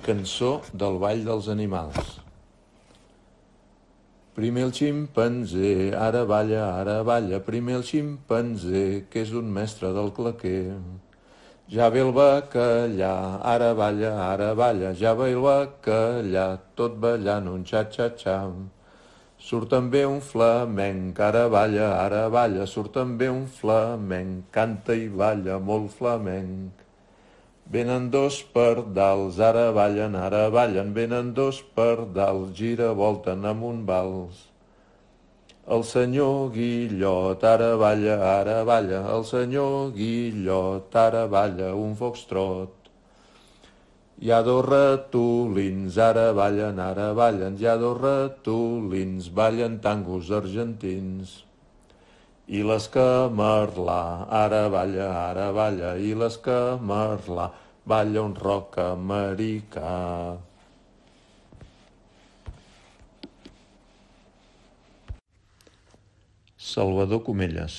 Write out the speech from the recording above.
Cançó del ball dels animals. Primer el ximpanzé, ara balla, primer el ximpanzé, que és un mestre del claquer. Ja ve el bacallà, ara balla, ja ve el bacallà, tot ballant un xa-xa-xa. Surt també un flamenc, ara balla, surt també un flamenc, canta i balla molt flamenc. Venen dos pardals, ara ballen, venen dos pardals, giravolten amb un vals. El senyor Guillot ara balla, el senyor Guillot ara balla un foxtrot. Hi ha dos ratolins, ara ballen, hi ha dos ratolins, ballen tangos argentins. I l'escamarlà ara balla, i l'escamarlà balla un rock americà. Salvador Comelles.